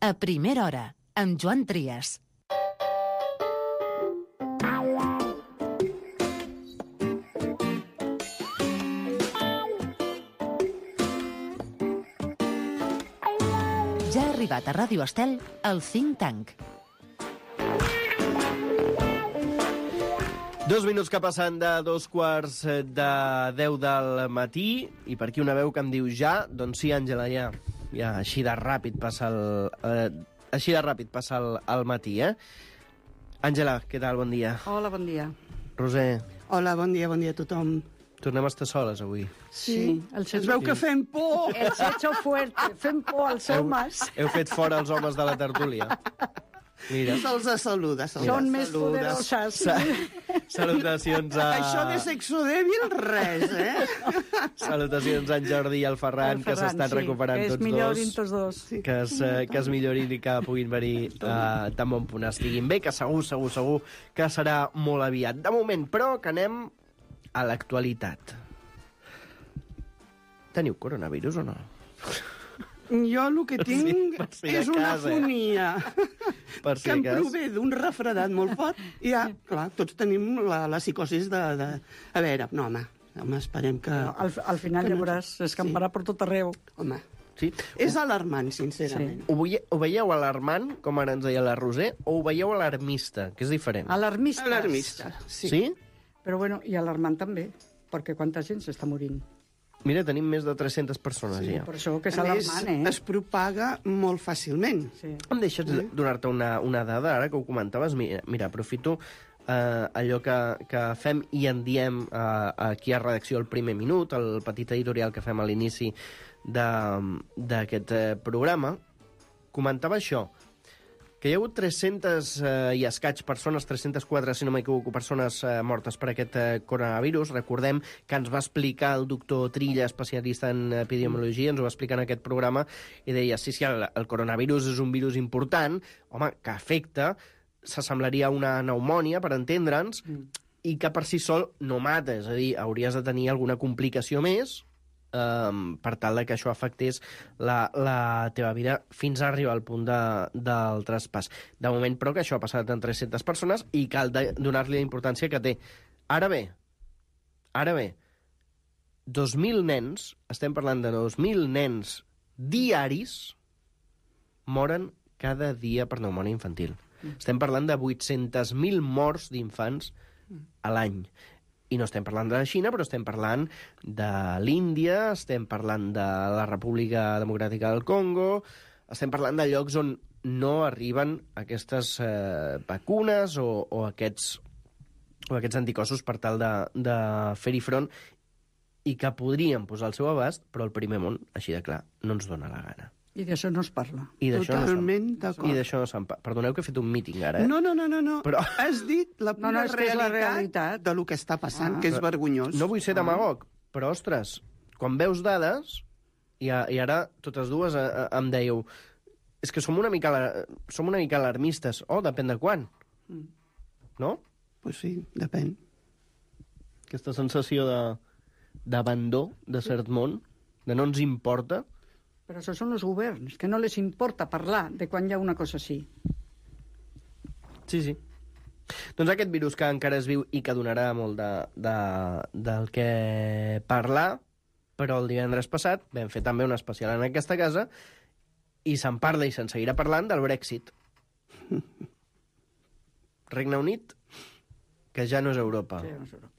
A primera hora, amb Joan Trias. Ja ha arribat a Ràdio Estel el Think Tank. 2 minuts que passen de 2:45 del matí, i per aquí una veu que em diu ja, doncs sí, Àngela, ja així de ràpid passa el matí, eh? Àngela, què tal? Bon dia. Hola, bon dia. Roser. Hola, bon dia a tothom. Tornem a estar soles avui. Sí. Es veu que fem por. El hecho fuerte, fem por als homes. Heu fet fora els homes de la tertúlia. Mira. Se'ls saluda. Són més poderoses. Salutacions a... Això de sexo dèbil, res, Salutacions a en Jordi i al Ferran, que s'estan recuperant tots dos. Que es millorin tots dos. Que es millorin i que puguin venir tan bon punt estiguin bé, que segur que serà molt aviat. De moment, però, que anem a l'actualitat. Teniu coronavirus o no? Jo el que tinc és una fonia si que em prové d'un refredat molt fort i ja, clar, tots tenim la psicosis de... A veure, no, home, esperem que... No, al final ja veuràs, es camparà per tot arreu. Home, sí? És alarmant, sincerament. Sí. Ho veieu alarmant, com ara ens deia la Roser, o ho veieu alarmista, que és diferent? Alarmista, sí. Però bueno, i alarmant també, perquè quanta gent s'està morint. Mira, tenim més de 300 persones ja. Per això que és alarmant, es propaga molt fàcilment. Sí. Em deixes donar-te una dada, ara que ho comentaves? Mira, aprofito allò que fem i en diem aquí a redacció el primer minut, el petit editorial que fem a l'inici d'aquest programa. Comentava això, que hi ha hagut 300 i escaig persones, 304, si no m'equivoco, persones mortes per aquest coronavirus. Recordem que ens va explicar el doctor Trilla, especialista en epidemiologia, ens ho va explicar en aquest programa, i deia, sí, el coronavirus és un virus important, home, que afecta, s'assemblaria a una pneumònia, per entendre'ns, i que per si sol no mata, és a dir, hauries de tenir alguna complicació més, per tal que això afectés la teva vida fins a arribar al punt del traspàs. De moment, però, que això ha passat en 300 persones i cal donar-li la importància que té. Ara bé, 2.000 nens, estem parlant de 2.000 nens diaris, moren cada dia per pneumònia infantil. Estem parlant de 800.000 morts d'infants a l'any. I no estem parlant de la Xina, però estem parlant de l'Índia, estem parlant de la República Democràtica del Congo, estem parlant de llocs on no arriben aquestes vacunes o aquests anticossos per tal de fer-hi front i que podrien posar al seu abast, però el primer món, així de clar, no ens dona la gana. I d'això no es parla. Totalment d'acord. I d'això no se'n parla. Perdoneu que he fet un míting ara, eh? No. Però... Has dit la pura realitat de lo que està passant, que és vergonyós. No vull ser demagog, però, ostres, quan veus dades, i ara totes dues em dèieu, és que som una mica alarmistes. Oh, depèn de quan. No? Pues sí, depèn. Aquesta sensació d'abandó de cert món, de no ens importa. Però això són els governs, que no les importa parlar de quan hi ha una cosa així. Sí. Doncs aquest virus que encara es viu i que donarà molt del que parlar, però el divendres passat vam fer també un especial en aquesta casa i se'n parla i se'n seguirà parlant del Brexit. Regne Unit, que ja no és Europa. Sí, no és Europa.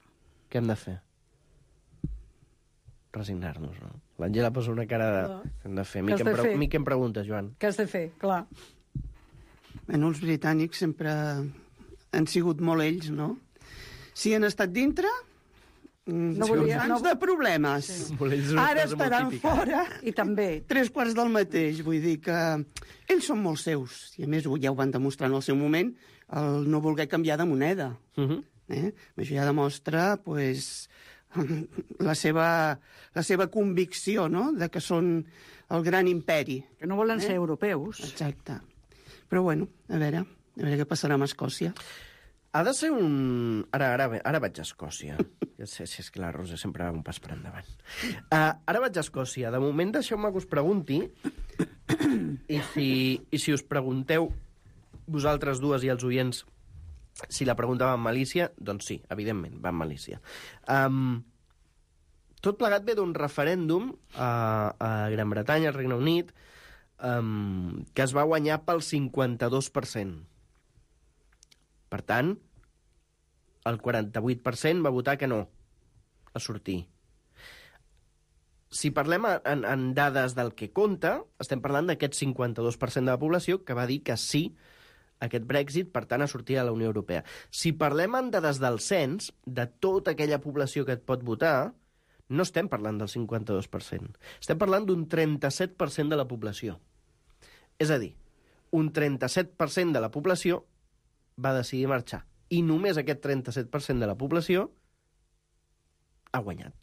Què hem de fer? Resignar-nos, no? L'Àngela posa una cara de... Què hem de fer? Mi què em preguntes, Joan? Què has de fer? Clar. Bueno, els britànics sempre han sigut molt ells, no? Si han estat dintre, de problemes. Sí. Ara estaran fora. I també. 3/4 del mateix. Vull dir que ells són molt seus. I a més, ja ho van demostrar en el seu moment, el no voler canviar de moneda. Això ja demostra, pues, la seva convicció, no?, de que són el gran imperi. Que no volen ser europeus. Exacte. Però, bueno, a veure què passarà amb Escòcia. Ha de ser un... Ara vaig a Escòcia. Ja sé, si és que la Rosa sempre va un pas per endavant. Ara vaig a Escòcia. De moment, deixeu-me que us pregunti. I si us pregunteu vosaltres dues i els oients si la pregunta va amb malícia, doncs sí, evidentment, va amb malícia. Tot plegat ve d'un referèndum a Gran Bretanya, al Regne Unit, que es va guanyar pel 52%. Per tant, el 48% va votar que no a sortir. Si parlem en dades del que compta, estem parlant d'aquest 52% de la població que va dir que sí a aquest Brexit, per tant, a sortir a la Unió Europea. Si parlem en dades del cens, de tota aquella població que et pot votar, no estem parlant del 52%. Estem parlant d'un 37% de la població. És a dir, un 37% de la població va decidir marxar. I només aquest 37% de la població ha guanyat.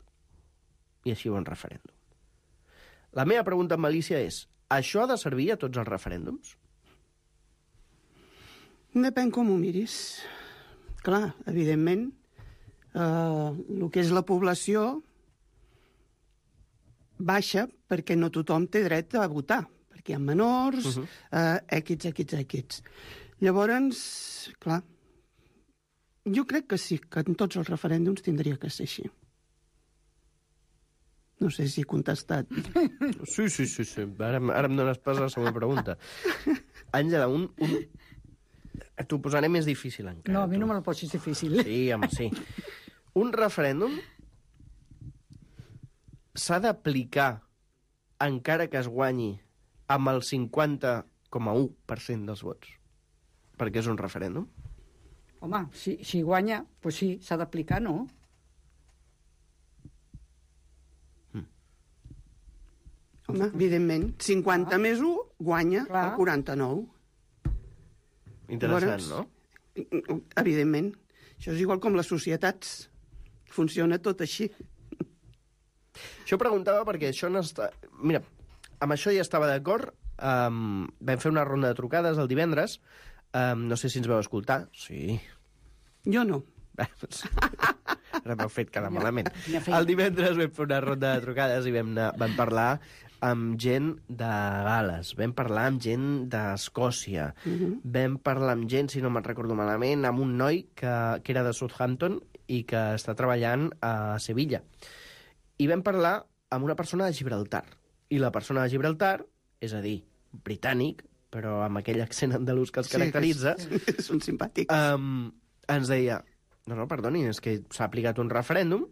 I així va un referèndum. La meva pregunta amb malícia és: això ha de servir a tots els referèndums? Depèn com ho miris. Clar, evidentment, el que és la població baixa perquè no tothom té dret a votar, perquè hi ha menors, equips. Llavors, clar, jo crec que sí, que en tots els referèndums tindria que ser així. No sé si he contestat. Sí. Ara em dones pas a la següent pregunta. Àngela, t'ho posaré més difícil encara. No, a mi no me la posis difícil. Sí, home, sí. Un referèndum s'ha d'aplicar encara que es guanyi amb el 50,1% dels vots. Perquè és un referèndum. Home, si guanya, doncs sí, s'ha d'aplicar, no? Home, evidentment, 50 més 1 guanya Clar. el 49. Interessant, no? Evidentment. Això és igual com les societats. Funciona tot així. Això preguntava perquè això no està... Mira, amb això ja estava d'acord. Vam fer una ronda de trucades el divendres. No sé si ens vau escoltar. Sí. Jo no. Ara m'heu fet quedar malament. El divendres vam fer una ronda de trucades i vam parlar amb gent de Gales, vam parlar amb gent d'Escòcia, vam parlar amb gent, si no me'n recordo malament, amb un noi que era de Southampton i que està treballant a Sevilla. I vam parlar amb una persona de Gibraltar. I la persona de Gibraltar, és a dir, britànic, però amb aquell accent andalús que els caracteritza... Sí, són simpàtics. Ens deia, no, perdoni, és que s'ha aplicat un referèndum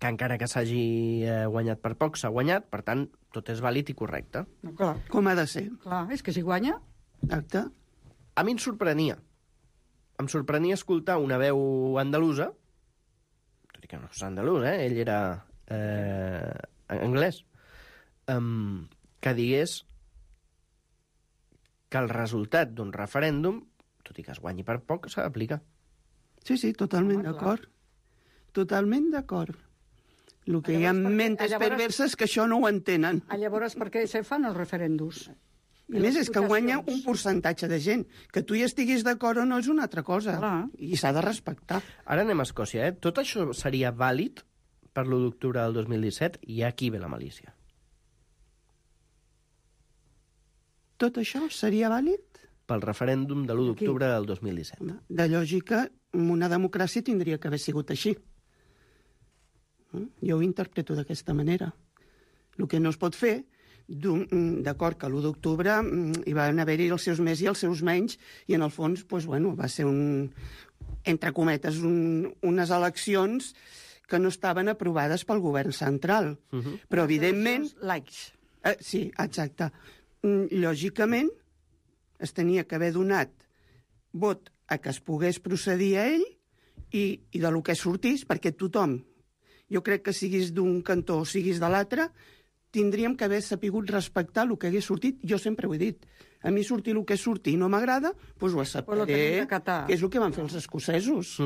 que encara que s'hagi guanyat per poc, s'ha guanyat, per tant, tot és vàlid i correcte. No, clar. Com ha de ser. Clar, és que si guanya... Exacte. A mi em sorprenia. Em sorprenia escoltar una veu andalusa, tot i que no és andalús, ell era anglès, que digués que el resultat d'un referèndum, tot i que es guanyi per poc, s'ha d'aplicar. Sí, totalment d'acord. Totalment d'acord. El que hi ha mentes perverses que això no ho entenen. Llavors, per què se fan els referèndums? A més, és que guanya un percentatge de gent. Que tu hi estiguis d'acord o no és una altra cosa. Clar. I s'ha de respectar. Ara anem a Escòcia, Tot això seria vàlid per l'1 d'octubre del 2017 i aquí ve la malícia. Tot això seria vàlid? Pel referèndum de l'1 d'octubre del 2017. De lògica, una democràcia tindria que haver sigut així. Jo ho interpreto d'aquesta manera. El que no es pot fer, d'acord que l'1 d'octubre hi van haver-hi els seus més i els seus menys, i en el fons, va ser entre cometes, unes eleccions que no estaven aprovades pel govern central. Però, evidentment... Laics. Sí, exacte. Lògicament, es tenia que haver donat vot a que es pogués procedir a ell i de lo que sortís, perquè tothom, jo crec que siguis d'un cantó o siguis de l'altre, tindríem que haver sapigut respectar el que hagués sortit. Jo sempre ho he dit. A mi sortir el que surti i no m'agrada, doncs ho acceptaré, que és el que van fer els escocesos.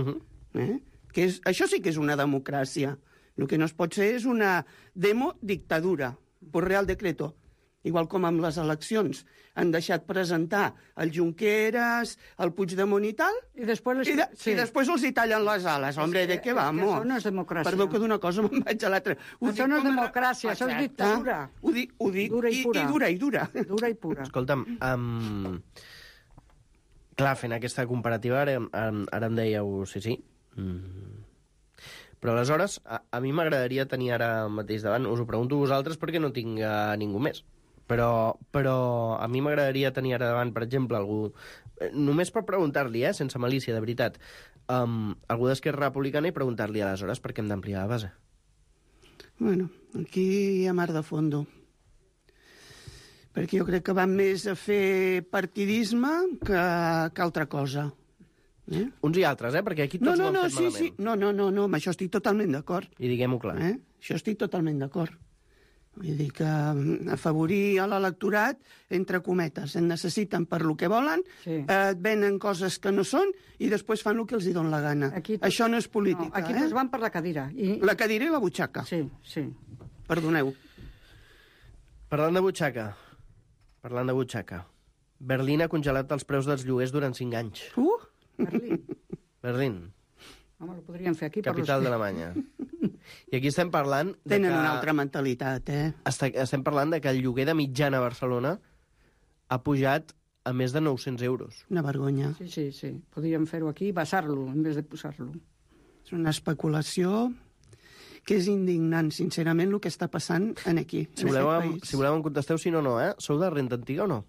Això sí que és una democràcia. El que no es pot ser és una dictadura, por real decreto. igual com amb les eleccions. Han deixat presentar el Junqueras, el Puigdemont i tal, I després, i després els hi tallen les ales. Hombre, ¿de què vamos? Això no és democràcia. Perdó que d'una cosa me'n vaig a l'altra. Això no és democràcia, això és dictadura. Ho dic, Dura i pura. i dura. Dura i pura. Escolta'm, clar, fent aquesta comparativa, ara em dèieu, sí. Però aleshores, a mi m'agradaria tenir ara mateix davant, us ho pregunto a vosaltres perquè no tinc ningú més, però a mi m'agradaria tenir ara davant, per exemple, algú, només per preguntar-li, sense malícia, de veritat, algú d'Esquerra Republicana i preguntar-li aleshores per què hem d'ampliar la base. Bueno, aquí hi ha mar de fondo. Perquè jo crec que van més a fer partidisme que altra cosa. Uns i altres, perquè aquí tots ho han fet malament. Sí. No, amb això estic totalment d'acord. I diguem-ho clar. Això estic totalment d'acord. Vull dir que afavorir a l'electorat, entre cometes, en necessiten per lo que volen, et venen coses que no són i després fan el que els hi dona la gana. Això no és política. No, aquí tots van per la cadira. La cadira i la butxaca. Sí. Perdoneu. Parlant de butxaca, Berlín ha congelat els preus dels lloguers durant 5 anys. Berlín. Home, ho podríem fer aquí. Capital d'Alemanya. I aquí estem parlant... Tenen una altra mentalitat, Estem parlant de que el lloguer de mitjana a Barcelona ha pujat a més de 900 euros. Una vergonya. Sí. Podríem fer-ho aquí i basar-lo, en vez de posar-lo. És una especulació que és indignant, sincerament, el que està passant aquí, Si voleu em contesteu sí o no, Sou de renta antiga o no?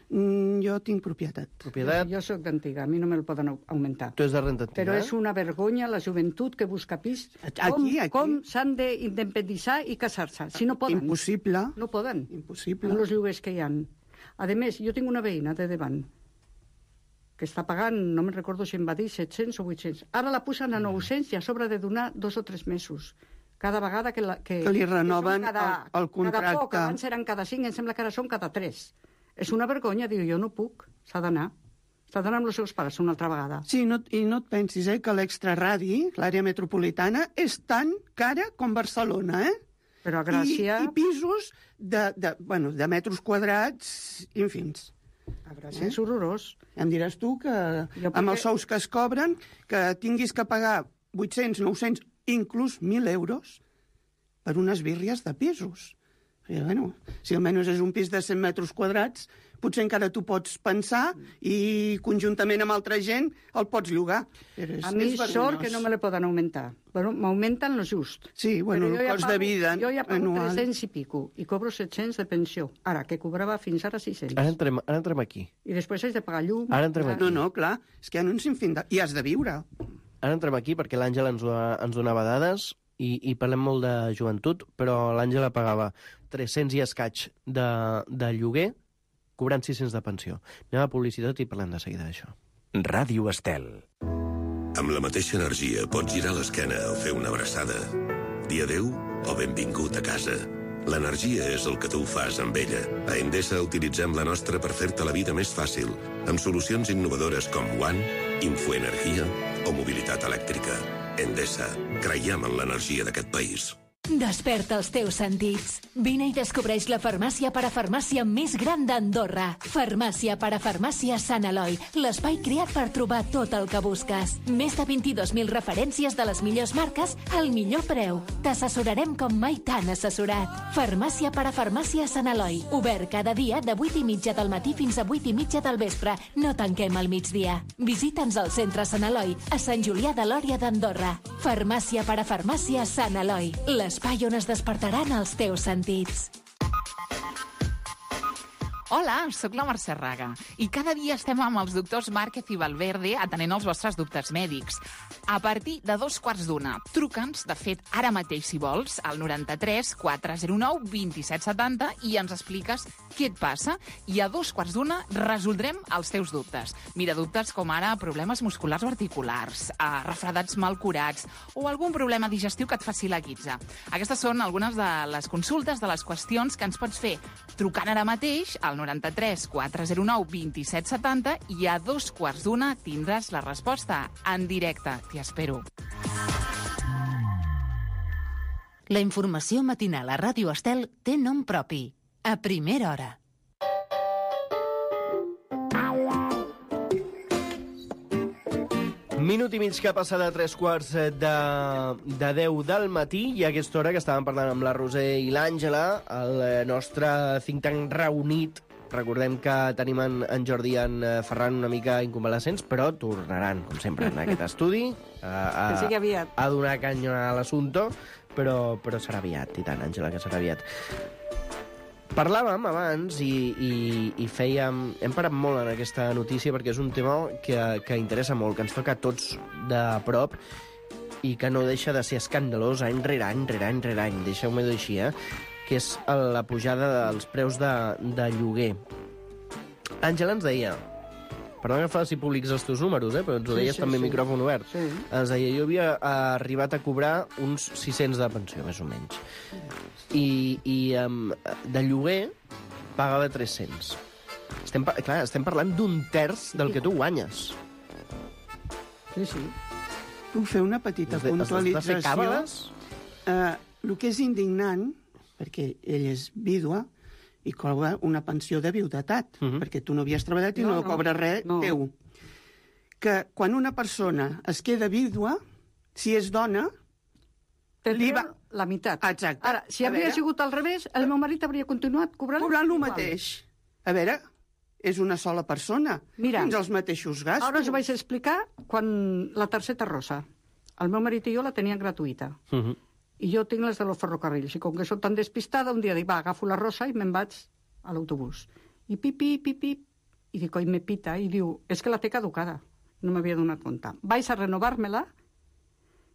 Jo tinc propietat. Jo soc d'antiga, a mi no me'l poden augmentar. Tu és de renta antiga, Però és una vergonya la joventut que busca pis. Aquí. Com s'han d'independitzar i casar-se? Si no poden. Impossible. No poden. Impossible. Amb els lloguers que hi ha. A més, jo tinc una veïna de davant que està pagant, no me'n recordo si em va dir 700 o 800. Ara la posen a 900 i a sobre de donar 2 o 3 mesos. Cada vegada que li renoven el contracte. Cada poc, abans eren cada 5, em sembla que ara són cada 3. És una vergonya, diu, jo no puc, s'ha d'anar. S'ha d'anar amb els seus pares una altra vegada. Sí, i no et pensis que l'extraradi, l'àrea metropolitana, és tan cara com Barcelona, Però a Gràcia... I pisos de metres quadrats infins. A Gràcia és horrorós. Em diràs tu que amb els sous que es cobren, que tinguis que pagar 800, 900, inclús 1.000 euros per unes birries de pisos. Si almenys és un pis de 100 metres quadrats, potser encara tu pots pensar i conjuntament amb altra gent el pots llogar. A mi sort que no me le poden augmentar. M'augmenten lo just. Sí, el cost de vida jo ja pago 300 i pico i cobro 700 de pensió. Ara, que cobrava fins ara 600. Ara entrem aquí. I després haig de pagar llum. Ara entrem aquí. No, clar, és que hi ha un sinfín de... I has de viure. Ara entrem aquí perquè l'Àngela ens donava dades i parlem molt de joventut, però l'Àngela pagava 300 i escaig de lloguer, cobrant 600 de pensió. Anem a publicitat i parlem de seguida d'això. Ràdio Estel. Amb la mateixa energia pots girar l'esquena o fer una abraçada. Dir adéu o benvingut a casa. L'energia és el que tu fas amb ella. A Endesa utilitzem la nostra per fer-te la vida més fàcil, amb solucions innovadores com One, Infoenergia o mobilitat elèctrica. Endesa. Creiem en l'energia d'aquest país. Desperta els teus sentits. Vine i descobreix la farmàcia parafarmàcia més gran d'Andorra. Farmàcia parafarmàcia Sant Eloi, l'espai creat per trobar tot el que busques. Més de 22.000 referències de les millors marques al millor preu. T'assessorarem com mai t'han assessorat. Farmàcia parafarmàcia Sant Eloi. Obert cada dia de 8:30 del matí fins a 8:30 del vespre. No tanquem al migdia. Visita'ns al centre Sant Eloi, a Sant Julià de Lòria d'Andorra. Farmàcia parafarmàcia Sant Eloi. L'espai on es despertaran els teus sentits. Hola, sóc la Mercè Raga i cada dia estem amb els doctors Márquez i Valverde atenent els vostres dubtes mèdics. A partir de 2:15, truca'ns, de fet, ara mateix, si vols, al 93 409 2770 i ens expliques què et passa i a 2:15 resoldrem els teus dubtes. Mira, dubtes com ara problemes musculars o articulars, refredats mal curats o algun problema digestiu que et faci la guitza. Aquestes són algunes de les consultes, de les qüestions que ens pots fer trucant ara mateix al 93 409 2770 i a 2:15 tindràs la resposta en directe. T'hi espero. La informació matinal a Ràdio Estel té nom propi. a primera hora. Minut i mig que passa de 3 de 10 del matí i a aquesta hora que estàvem parlant amb la Roser i l'Àngela, el nostre think tank reunit. Recordem que tenim en Jordi i en Ferran una mica inconvalescents, però tornaran, com sempre, en aquest estudi Que sigui aviat. a donar canya a l'assumpte, però serà aviat, i tant, Àngela, que serà aviat. Parlàvem abans i fèiem... Hem parat molt en aquesta notícia perquè és un tema que interessa molt, que ens toca a tots de prop i que no deixa de ser escandalós any rere any, deixeu-me dir així, que és la pujada dels preus de lloguer. Àngela ens deia, perdona que faci públics els teus números, però ens ho deies també micròfon obert. Sí. Ens deia, jo havia arribat a cobrar uns 600 de pensió, més o menys. I de lloguer pagava 300. Estem parlant d'un terç del que tu guanyes. Sí. Puc fer una petita puntualització? Has de fer càbales? El que és indignant, perquè ell és vídua, i cobra una pensió de viudetat, perquè tu no havies treballat i no cobres res teu. Que quan una persona es queda vídua, si és dona, li va... la meitat. Exacte. Ara, si hauria sigut al revés, el meu marit hauria continuat cobrant el mateix. A veure, és una sola persona. Mira, tens els mateixos gastos. Ara us ho vaig explicar quan la targeta rosa. El meu marit i jo la tenien gratuïta. I jo tinc les de los ferrocarrils. I com que soc tan despistada, un dia dic, va, agafo la rosa i me'n vaig a l'autobús. I pip, i dic, oi, me pita. I diu, és que la té caducada. No m'havia donat compte. Vaig a renovar-me-la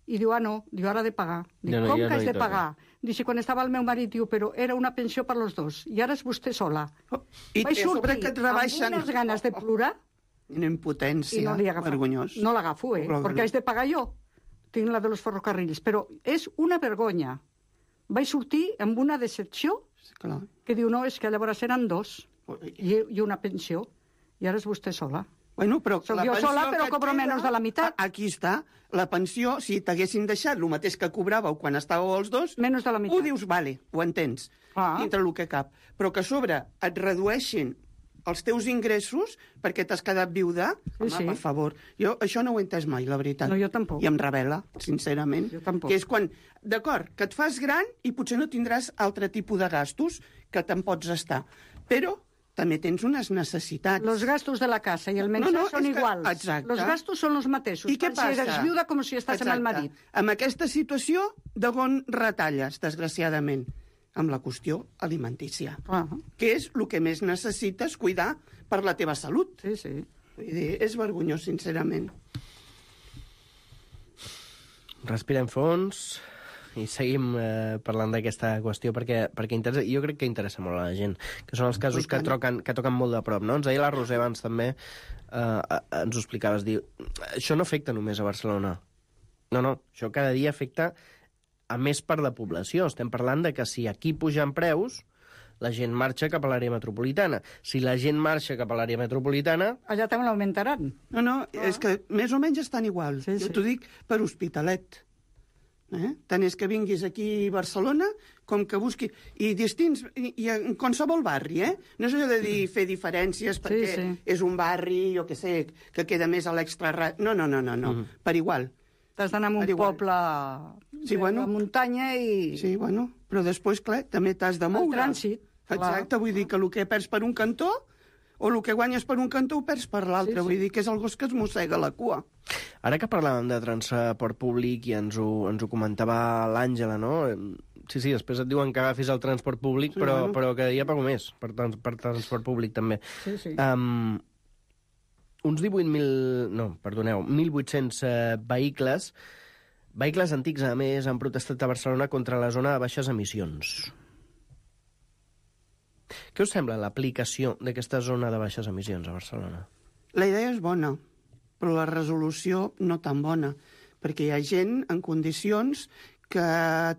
i diu, no, diu, ara de pagar. Dic, com que has de pagar? Diu, si quan estava el meu marit, diu, però era una pensió per los dos, i ara és vostè sola. I vaig sortir que et rebaixen... amb unes ganes de plorar. Una impotència, vergonyós. No l'agafo, perquè haig de pagar jo. Tinc la de los ferrocarrils, però és una vergonya. Vaig sortir amb una decepció que diu, no, és que llavors eren dos, i una pensió, i ara és vostè sola. Bueno, però soc jo sola, però cobro menys de la meitat. Aquí està. La pensió, si t'haguessin deixat el mateix que cobràveu quan estàveu els dos, menys de la meitat. Ho dius, vale, ho entens, dintre el que cap. Però que a sobre et redueixin els teus ingressos perquè t'has quedat viuda, per favor. Jo això no ho he entès mai, la veritat. No, jo tampoc. I em revela, sincerament. Jo tampoc. Que és quan, d'acord, que et fas gran i potser no tindràs altre tipus de gastos que te'n pots estar. Però també tens unes necessitats. Los gastos de la casa i el menjar són iguals. Exacte. Los gastos són els mateixos. I què passa? Si eres viuda com si estàs amb el marit. Amb aquesta situació, d'on retalles, desgraciadament? Amb la qüestió alimentícia. Que és el que més necessites cuidar per la teva salut. Sí. Vull dir, és vergonyós, sincerament. Respirem fons i seguim parlant d'aquesta qüestió perquè interessa, jo crec que interessa molt a la gent, que són els casos que toquen molt de prop, no? Ens deia la Roser abans també, ens ho explicaves, diu, això no afecta només a Barcelona. No, això cada dia afecta a més part de població. Estem parlant de que si aquí pugen preus, la gent marxa cap a l'àrea metropolitana. Si la gent marxa cap a l'àrea metropolitana... Allà també l'augmentaran. No, és que més o menys estan igual. Jo t'ho dic per Hospitalet. Tant és que vinguis aquí a Barcelona com que busqui... I distints, i en qualsevol barri, No és allò de dir fer diferències perquè és un barri, jo què sé, que queda més a l'extra... No. Per igual. T'has d'anar a un poble de muntanya i... Sí, bueno, però després, clar, també t'has de moure. El trànsit. Exacte, vull dir que el que perds per un cantó o el que guanyes per un cantó ho perds per l'altre. Vull dir que és el gos que es mossega la cua. Ara que parlàvem de transport públic i ens ho comentava l'Àngela, no? Sí, després et diuen que agafis el transport públic, però cada dia pago més per transport públic també. Sí. Uns 1.800 vehicles antics, a més, han protestat a Barcelona contra la zona de baixes emissions. Què us sembla l'aplicació d'aquesta zona de baixes emissions a Barcelona? La idea és bona, però la resolució no tan bona, perquè hi ha gent en condicions que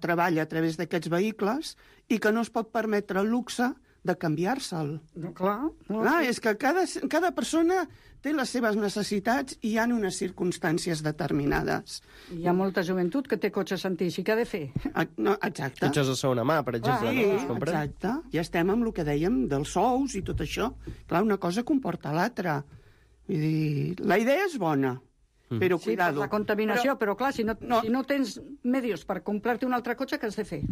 treballa a través d'aquests vehicles i que no es pot permetre el luxe de canviar-se'l. No, clar. No, Clar, és que cada persona té les seves necessitats i hi ha unes circumstàncies determinades. Hi ha molta joventut que té cotxes antics i què ha de fer? No, exacte. Cotxes de segona mà, per exemple, Sí, no? Es compren? exacte. Ja estem amb el que dèiem dels sous i tot això. Clar, una cosa comporta l'altra. Vull dir, la idea és bona, però Sí, per cuidado. la contaminació, però clar, si no tens medios per comprar-te un altre cotxe, què has de fer?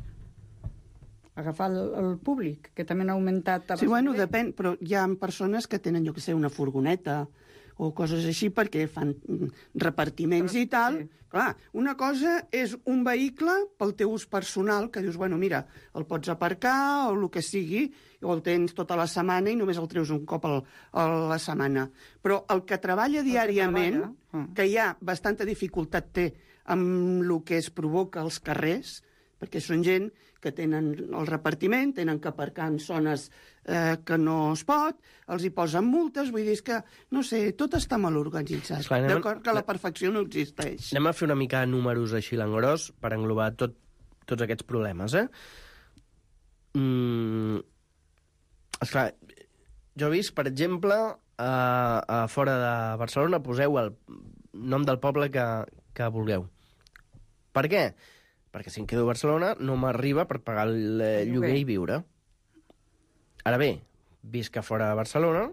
Agafar el públic, que també ha augmentat... Sí, bueno, depèn, però hi ha persones que tenen, jo que sé, una furgoneta o coses així perquè fan repartiments i tal. Sí. Clar, una cosa és un vehicle pel teu ús personal, que dius, bueno, mira, el pots aparcar o el que sigui, o el tens tota la setmana i només el treus un cop a la setmana. Però el que treballa diàriament, que hi ha bastanta dificultat té amb el que es provoca als carrers, perquè són gent que tenen el repartiment, tenen que aparcar en zones que no es pot, els hi posen multes, vull dir, és que, no sé, tot està mal organitzat. Esclar, D'acord que la perfecció no existeix. Anem a fer una mica de números així l'engròs per englobar tots aquests problemes, Esclar, jo he vist, per exemple, a fora de Barcelona, poseu el nom del poble que vulgueu. Per què? Perquè si em quedo a Barcelona no m'arriba per pagar el lloguer i viure. Ara bé, visc a fora de Barcelona,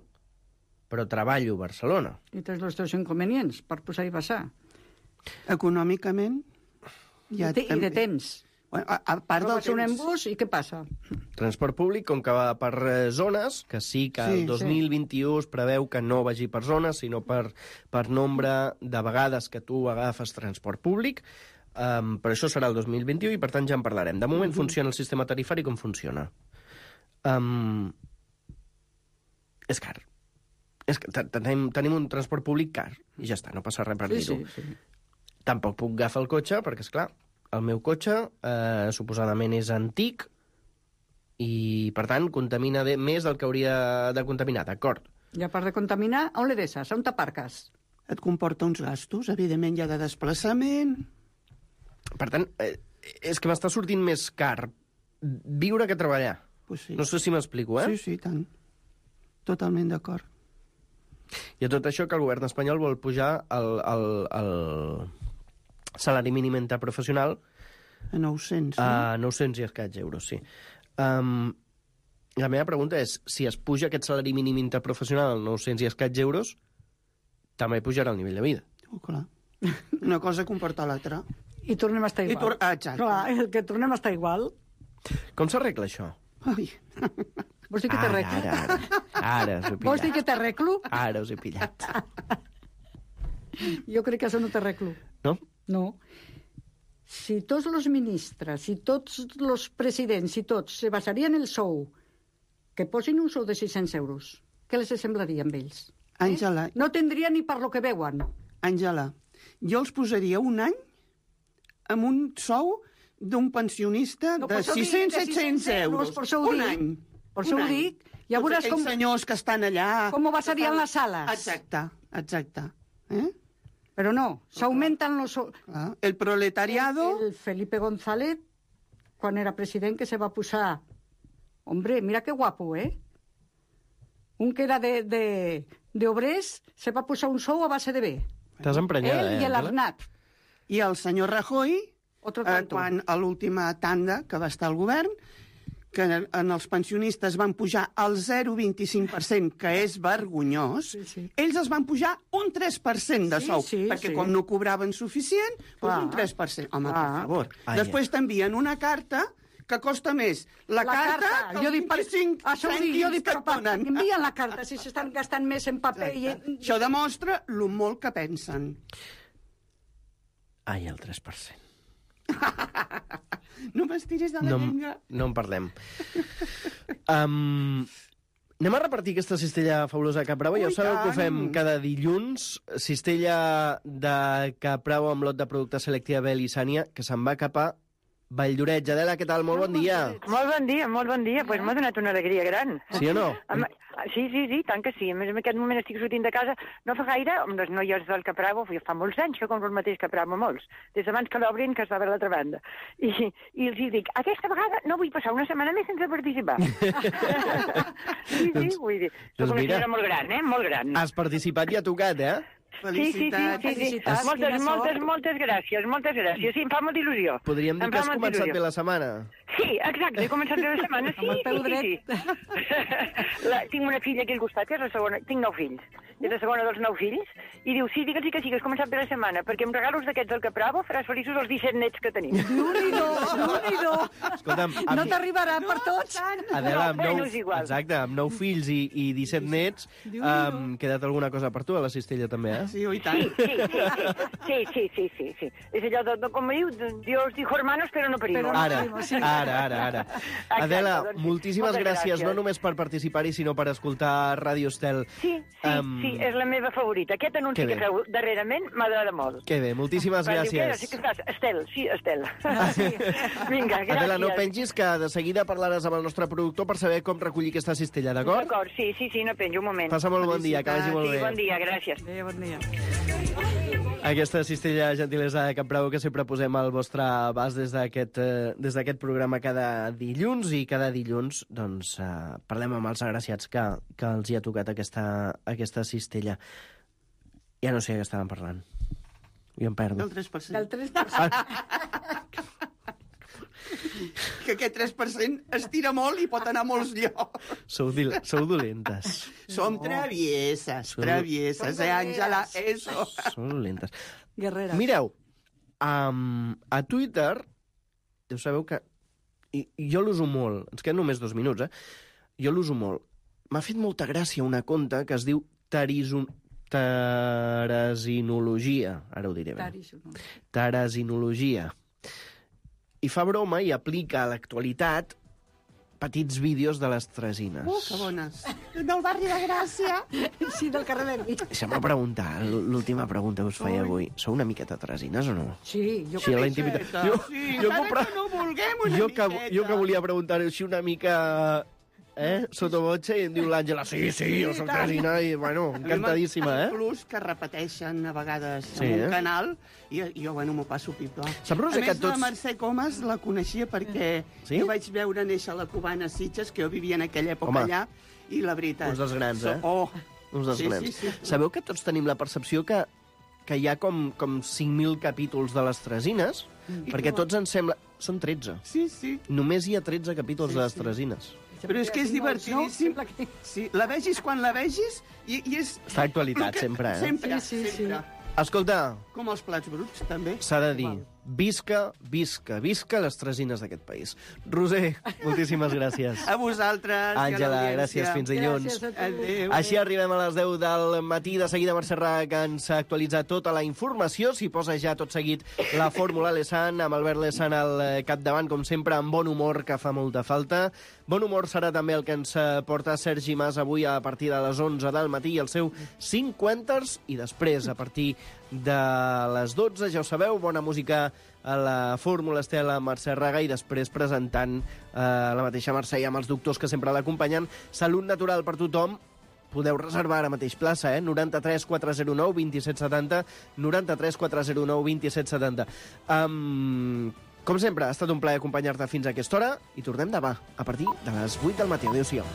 però treballo a Barcelona. I tens els teus inconvenients per posar i passar. Econòmicament... I de temps. Bueno, a part del Trobes un temps... embús i què passa? Transport públic, com que va per zones, que sí que el 2021 es preveu que no vagi per zones, sinó per nombre de vegades que tu agafes transport públic, però això serà el 2021 i per tant ja en parlarem. De moment funciona el sistema tarifari com funciona. És car. Tenim un transport públic car i ja està, no passa res per dir-ho. Sí. Tampoc puc agafar el cotxe perquè, esclar, el meu cotxe suposadament és antic i, per tant, contamina més del que hauria de contaminar, d'acord? I a part de contaminar, on le deixes? On t'aparques? Et comporta uns gastos, evidentment hi ha de desplaçament... Per tant, és que m'està sortint més car viure que treballar. Pues sí. No sé si m'explico, Sí, tant. Totalment d'acord. I a tot això que el govern espanyol vol pujar el salari mínim interprofessional A 900, a 900 i escaig euros, sí. La meva pregunta és, si es puja aquest salari mínim interprofessional a 900 i escaig euros, també pujarà el nivell de vida. Oh, clar. Una cosa comporta l'altra. I tornem a estar igual. Exacte. Clar, que tornem a estar igual. Com s'arregla això? Ai. Vols dir que t'arreglo? Ara us he pillat. Vols dir que t'arreglo? Ara us he pillat. Jo crec que això no t'arreglo. No? No. Si tots els ministres, si tots els presidents, si tots se basarien en el sou, que posin un sou de 600 euros, què les semblaria amb ells? Àngela, No tindria ni per lo que veuen. Àngela, jo els posaria un any amb un sou d'un pensionista No, de per això dic, 600-700 euros. per això ho un dic. any. Per això Un ho any. dic. Ja Tots veuràs aquells senyors que estan allà... com basarien les sales. Exacte. Però no, s'augmenten los... El proletariado... El Felipe González, quan era president, que se va posar... Hombre, mira que guapo, Un que era de obrers se va posar un sou a base de bé. T'has emprenyada, Ell i l'Arnat. I el senyor Rajoy, Otro tanto. quan a l'última tanda que va estar al govern, que en els pensionistes van pujar al 0,25%, que és vergonyós, Sí. ells els van pujar un 3% de sou, Sí, perquè sí. com no cobraven suficient, doncs Clar. un 3%. Home, per Clar. favor. Ai, Després t'envien una carta que costa més la carta que jo els dic per... 25 Això ho dic, jo dic, que però et donen. envien la carta si s'estan gastant més en paper. Això demostra lo molt que pensen. Ai, el 3%. No m'estiris de la llengua. No en parlem. Anem a repartir aquesta cistella fabulosa de Cap Bravo. Ja Ui, ho sabeu que ho fem tant. cada dilluns. Cistella de Cap Bravo amb lot de productes Selectia Bel i Sània, que se'n va cap a Valldoreix. Adela, què tal? Molt bon dia. Molt bon dia, molt bon dia. Pues m'ha donat una alegria gran. Sí o no? Sí, tant que sí. A més, en aquest moment estic sortint de casa. No fa gaire, amb les noies del Capravo, fa molts anys que compro el mateix Capravo, molts. Des d'abans que l'obrin, que estava a l'altra banda. I els hi dic, aquesta vegada no vull passar una setmana més sense participar. Sí, vull dir. Soc una senyora molt gran, Molt gran. Has participat i ha tocat, Felicitats. Sí. Moltes gràcies. Sí, em fa molta il·lusió. Podríem dir que has començat bé la setmana. Sí, exacte, he començat bé la setmana, sí. Tinc una filla aquí al costat, que és la segona, tinc 9 fills. És la segona dels 9 fills, i diu, sí, digues que has començat bé la setmana, perquè amb regalos d'aquests del Capravo faràs feliços els 17 nets que tenim. Déu-n'hi-do. Escolta'm, no t'arribarà per tots. Adela, amb 9 fills i 17 nets, quedat alguna cosa per tu a la cistella també, Sí, i tant. Sí. És allò de com diu, Dios dijo hermanos, però no primos. Ara. Adela, moltíssimes gràcies, no només per participar-hi, sinó per escoltar Ràdio Estel. Sí, és la meva favorita. Aquest anunci que feu darrerament m'agrada molt. Que bé, moltíssimes gràcies. Estel. Vinga, gràcies. Adela, no pengis, que de seguida parlaràs amb el nostre productor per saber com recollir aquesta cistella, d'acord? D'acord, sí, no penjo, un moment. Passa molt bon dia, que vagi molt bé. Sí, bon dia, gràcies. Bon dia. Aquesta cistella gentilesa de Capravo que sempre posem al vostre abast des d'aquest programa cada dilluns, i cada dilluns doncs, parlem amb els agraciats que els hi ha tocat aquesta cistella. Ja no sé què estàvem parlant. Jo em perdo. Del 3%. Del 3%. Que aquest 3% es tira molt i pot anar a molts llocs. Sou dolentes. Som travieses, Àngela, eso. Sou dolentes. Guerreres. Mireu, a Twitter, ja sabeu que... I jo l'uso molt, ens queden només 2 minuts, Jo l'uso molt. M'ha fet molta gràcia una conta que es diu Teresinologia. Ara ho diré bé. Teresinologia. I fa broma i aplica a l'actualitat petits vídeos de les Teresines. Que bones. Del barri de Gràcia. Sí, del carrer Verdi. Deixa'm preguntar, l'última pregunta que us feia avui. Sou una miqueta Teresines o no? Sí, jo crec que sí. Encara que no vulguem una miqueta. Jo que volia preguntar així una mica... Sotobotxe, i em diu l'Àngela, sí, jo soc Teresina, i, bueno, encantadíssima, Inclús que repeteixen a vegades en un canal, i jo, m'ho passo pipa. A més, la Mercè Comas la coneixia perquè jo vaig veure néixer la cubana Sitges, que jo vivia en aquella època allà, i la veritat... Uns dels grans, Uns dels grans. Sí. Sabeu que tots tenim la percepció que hi ha com 5.000 capítols de les Teresines, perquè tots ens sembla... Són 13. Sí. Només hi ha 13 capítols de les Teresines. Però és que és divertidíssim. Sí, la vegis quan la vegis i és... Està actualitat, sempre, Sempre. Escolta... Com els plats bruts, també. S'ha de dir, visca les Teresines d'aquest país. Roser, moltíssimes gràcies. A vosaltres. Àngela, gràcies, fins dilluns. Adéu. Així arribem a les 10 del matí. De seguida Mercè Raga ens ha actualitzat tota la informació. S'hi posa ja tot seguit la Fórmula Lesan, amb Albert Lesan al capdavant, com sempre, amb bon humor, que fa molta falta. Bon humor serà també el que ens porta Sergi Mas avui a partir de les 11 del matí i el seu 50ers, i després, a partir de les 12, ja ho sabeu, bona música a la Fórmula Estel amb Mercè Raga, i després presentant la mateixa Mercè i amb els doctors que sempre l'acompanyen. Salut natural per tothom. Podeu reservar ara mateix plaça, 93 409 2770, 93 409 2770. Com sempre, ha estat un plaer acompanyar-te fins a aquesta hora, i tornem demà, a partir de les 8 del matí. Adéu-siau.